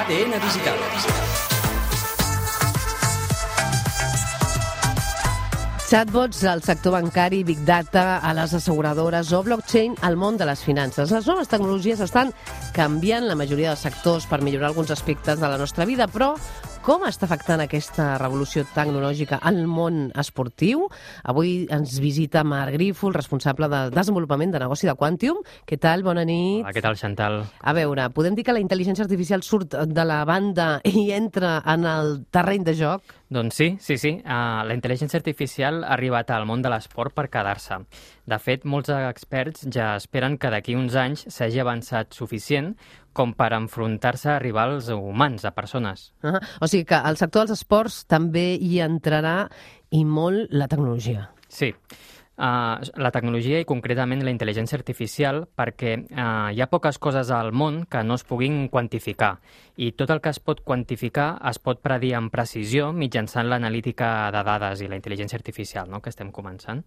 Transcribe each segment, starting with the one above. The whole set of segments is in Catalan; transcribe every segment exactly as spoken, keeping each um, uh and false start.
A D N Digital. Chatbots al sector bancari, Big Data a les asseguradores o blockchain al món de les finances. Les noves tecnologies estan canviant la majoria dels sectors per millorar alguns aspectes de la nostra vida, però com està afectant aquesta revolució tecnològica al món esportiu? Avui ens visita Marc Grífol, responsable de desenvolupament de negoci de Quantium. Què tal? Bona nit. Hola, què tal, Chantal? A veure, podem dir que la intel·ligència artificial surt de la banda i entra en el terreny de joc? Doncs sí, sí, sí. Uh, la intel·ligència artificial ha arribat al món de l'esport per quedar-se. De fet, molts experts ja esperen que d'aquí uns anys s'hagi avançat suficient com per enfrontar-se a rivals humans, a persones. Uh -huh. O sigui que al sector dels esports també hi entrarà i molt la tecnologia. Sí. Uh, la tecnologia i concretament la intel·ligència artificial, perquè uh, hi ha poques coses al món que no es puguin quantificar, i tot el que es pot quantificar es pot predir amb precisió mitjançant l'analítica de dades i la intel·ligència artificial, no?, que estem començant.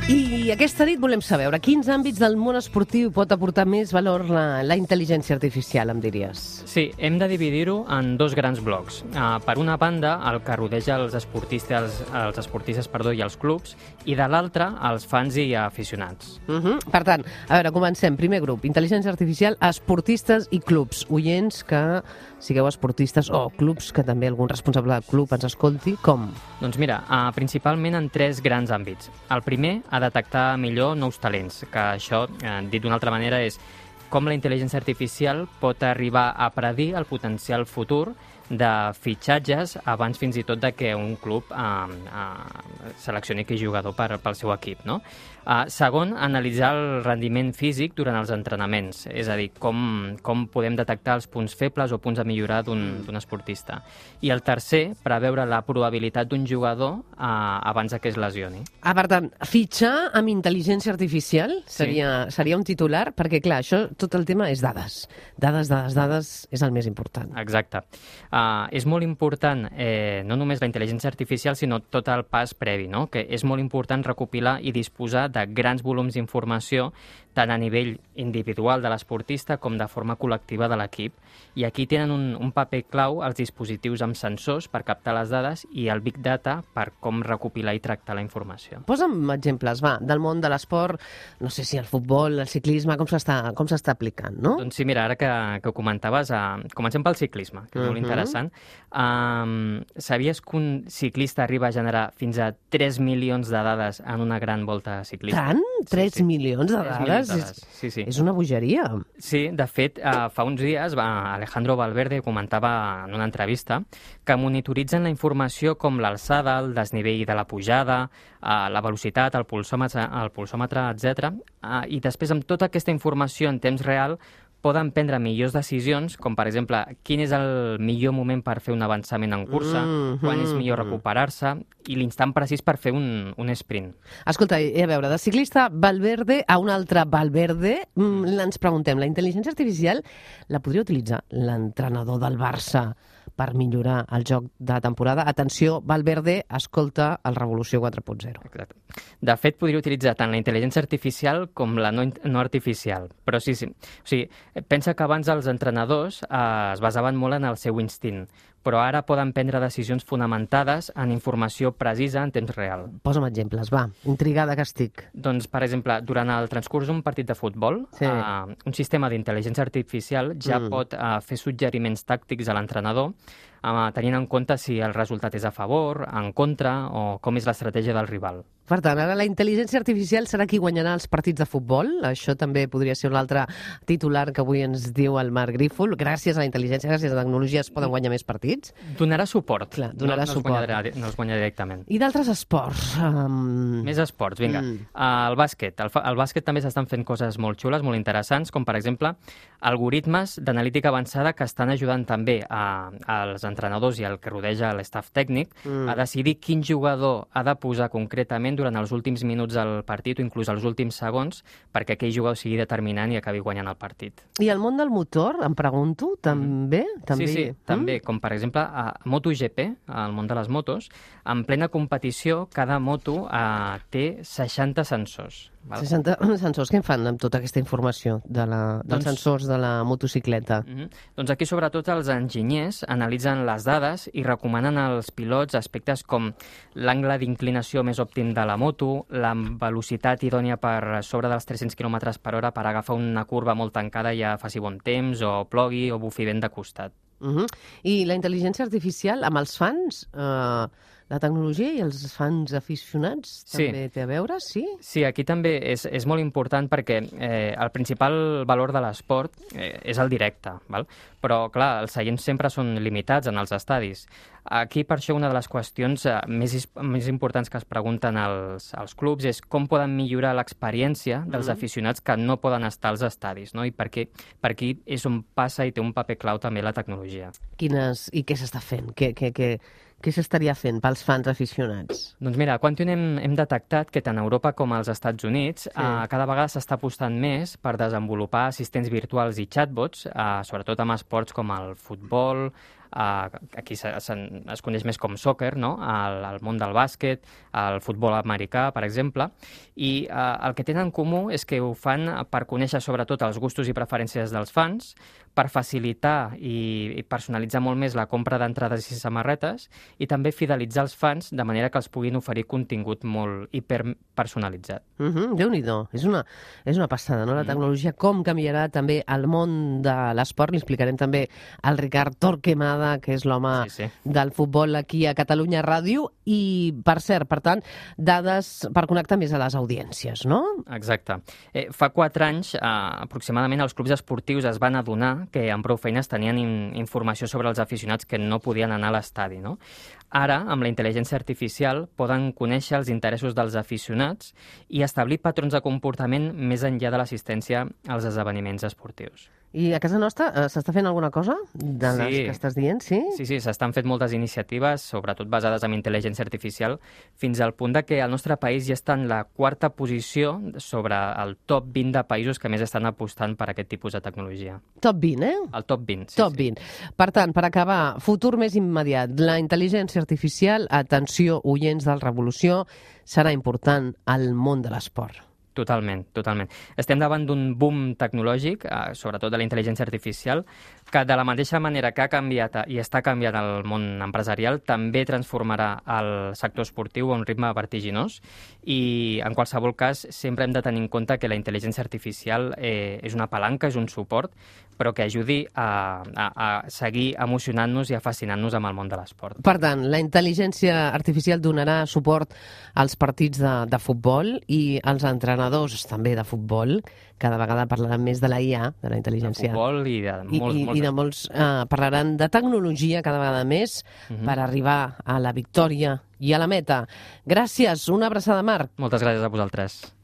I aquesta nit volem saber a quins àmbits del món esportiu pot aportar més valor la, la intel·ligència artificial, em diries? Sí, hem de dividir-ho en dos grans blocs. Uh, per una banda, el que rodeja els esportistes, els esportistes perdó, i els clubs, i de l'altra, els fans i aficionats. Uh -huh. Per tant, a veure, comencem. Primer grup, intel·ligència artificial, esportistes i clubs. Oients que sigueu esportistes o clubs, que també algun responsable del club ens escolti, com? Doncs mira, uh, principalment en tres grans àmbits. El primer, a detectar millor nous talents, que això, eh, dit d'una altra manera, és com la intel·ligència artificial pot arribar a predir el potencial futur de fitxatges abans fins i tot de que un club eh, eh, seleccioni aquell jugador per, pel seu equip, no? Uh, segon, analitzar el rendiment físic durant els entrenaments, és a dir, com, com podem detectar els punts febles o punts a millorar d'un d'un esportista. I el tercer, preveure la probabilitat d'un jugador uh, abans que es lesioni. Ah, per tant, fitxar amb intel·ligència artificial seria, sí. seria un titular, perquè clar, això, tot el tema és dades. Dades, dades, dades és el més important. Exacte. Uh, és molt important, eh, no només la intel·ligència artificial, sinó tot el pas previ, no?, que és molt important recopilar i disposar de grans volums d'informació tant a nivell individual de l'esportista com de forma col·lectiva de l'equip. I aquí tenen un, un paper clau els dispositius amb sensors per captar les dades i el Big Data per com recopilar i tractar la informació. Posa'm exemples, va, del món de l'esport, no sé si el futbol, el ciclisme, com s'està com s'està aplicant, no? Doncs sí, mira, ara que, que ho comentaves, uh, comencem pel ciclisme, que és uh-huh. molt interessant. Um, sabies que un ciclista arriba a generar fins a tres milions de dades en una gran volta ciclista? Tant? tres sí, sí. milions de dades? És, sí, sí. és una bogeria. Sí, de fet, uh, fa uns dies va, Alejandro Valverde comentava en una entrevista que monitoritzen la informació com l'alçada, el desnivell de la pujada, uh, la velocitat, el pulsòmetre, el pulsòmetre etcètera. Uh, I després, amb tota aquesta informació en temps real, poden prendre millors decisions, com per exemple, quin és el millor moment per fer un avançament en cursa, mm-hmm. quan és millor recuperar-se, i l'instant precís per fer un, un sprint. Escolta, a veure, de ciclista Valverde a un altre Valverde, mm, ens preguntem, la intel·ligència artificial la podria utilitzar l'entrenador del Barça per millorar el joc de temporada? Atenció, Valverde, escolta el Revolució quatre punt zero. Exacte. De fet, podria utilitzar tant la intel·ligència artificial com la no, no artificial. Però sí, sí. O sigui, pensa que abans els entrenadors eh, es basaven molt en el seu instint, però ara poden prendre decisions fonamentades en informació precisa en temps real. Posa'm exemples, va, intrigada que estic. Doncs, per exemple, durant el transcurs d'un partit de futbol, sí. eh, un sistema d'intel·ligència artificial ja mm. pot eh, fer suggeriments tàctics a l'entrenador, eh, tenint en compte si el resultat és a favor, en contra, o com és l'estratègia del rival. Per tant, ara la intel·ligència artificial serà qui guanyarà els partits de futbol? Això també podria ser un altre titular que avui ens diu el Marc Grífol. Gràcies a la intel·ligència, gràcies a la tecnologia es poden guanyar més partits? Donarà suport. Clar, donarà no, no suport. Es guanyarà, no es guanya directament. I d'altres esports? Um... Més esports, vinga. Mm. Uh, el bàsquet. El, el bàsquet també s'estan fent coses molt xules, molt interessants, com per exemple algoritmes d'analítica avançada que estan ajudant també a, als entrenadors i el que rodeja l'estaf tècnic Mm. a decidir quin jugador ha de posar concretament durant els últims minuts del partit o inclús els últims segons perquè aquell jugador sigui determinant i acabi guanyant el partit. I el món del motor, em pregunto, també? també... Sí, sí, també. Com per exemple a MotoGP, al món de les motos, en plena competició cada moto eh, té seixanta sensors. Val? seixanta sensors. Què en fan amb tota aquesta informació de la, dels Doncs- sensors de la motocicleta? Mm-hmm. Doncs aquí, sobretot, els enginyers analitzen les dades i recomanen als pilots aspectes com l'angle d'inclinació més òptim de la moto, la velocitat idònia per sobre dels tres-cents quilòmetres per hora per agafar una curva molt tancada i ja faci bon temps, o plogui, o bufi vent de costat. Uh -huh. I la intel·ligència artificial amb els fans, eh, la tecnologia i els fans aficionats Sí. també té a veure, sí? Sí, aquí també és, és molt important perquè eh, el principal valor de l'esport eh, és el directe, val? Però, clar, els seients sempre són limitats en els estadis. Aquí, per això, una de les qüestions eh, més, is- més importants que es pregunten als, als clubs és com poden millorar l'experiència dels Mhm. aficionats que no poden estar als estadis, no? I per aquí, per aquí és on passa i té un paper clau també la tecnologia. Quines, I què s'està fent? Què, què, què, què s'estaria fent pels fans aficionats? Doncs mira, a Quantium hem, hem detectat que tant a Europa com als Estats Units sí. eh, cada vegada s'està apostant més per desenvolupar assistents virtuals i chatbots, eh, sobretot amb esports com el futbol, eh, aquí se, se, es coneix més com soccer, no? el, el món del bàsquet, el futbol americà, per exemple, i eh, el que tenen en comú és que ho fan per conèixer sobretot els gustos i preferències dels fans, per facilitar i, i personalitzar molt més la compra d'entrades i samarretes i també fidelitzar els fans de manera que els puguin oferir contingut molt hiperpersonalitzat. Uh -huh, Déu-n'hi-do, és una, és una passada, no? La tecnologia, com canviarà també el món de l'esport. Li explicarem també al Ricard Torquemada, que és l'home Sí, sí. del futbol aquí a Catalunya Ràdio. I, per cert, per tant, dades per connectar més a les audiències, no? Exacte. Eh, fa quatre anys, eh, aproximadament, els clubs esportius es van adonar que amb prou feines tenien in informació sobre els aficionats que no podien anar a l'estadi, no? Ara, amb la intel·ligència artificial, poden conèixer els interessos dels aficionats i establir patrons de comportament més enllà de l'assistència als esdeveniments esportius. I a casa nostra eh, s'està fent alguna cosa de les Sí. que estàs dient, sí? Sí, sí, s'estan fent moltes iniciatives, sobretot basades en intel·ligència artificial, fins al punt de que el nostre país ja està en la quarta posició sobre el top vint de països que més estan apostant per aquest tipus de tecnologia. Top vint, eh? El top vint, sí. Top sí. vint. Per tant, per acabar, futur més immediat. La intel·ligència artificial, atenció, oients del Revolució, serà important al món de l'esport. Totalment, totalment. Estem davant d'un boom tecnològic, eh, sobretot de la intel·ligència artificial, que de la mateixa manera que ha canviat i està canviant el món empresarial, també transformarà el sector esportiu a un ritme vertiginós i, en qualsevol cas, sempre hem de tenir en compte que la intel·ligència artificial eh, és una palanca, és un suport, però que ajudi a, a, a seguir emocionant-nos i a fascinant-nos amb el món de l'esport. Per tant, la intel·ligència artificial donarà suport als partits de, de futbol i als entrenadors també de futbol. Cada vegada parlaran més de la I A, de la De intel·ligència. futbol i de I, molts, i, molts i de molts eh, parlaran de tecnologia cada vegada més Mhm. per arribar a la victòria i a la meta. Gràcies, una abraçada, Marc. Moltes gràcies a vosaltres.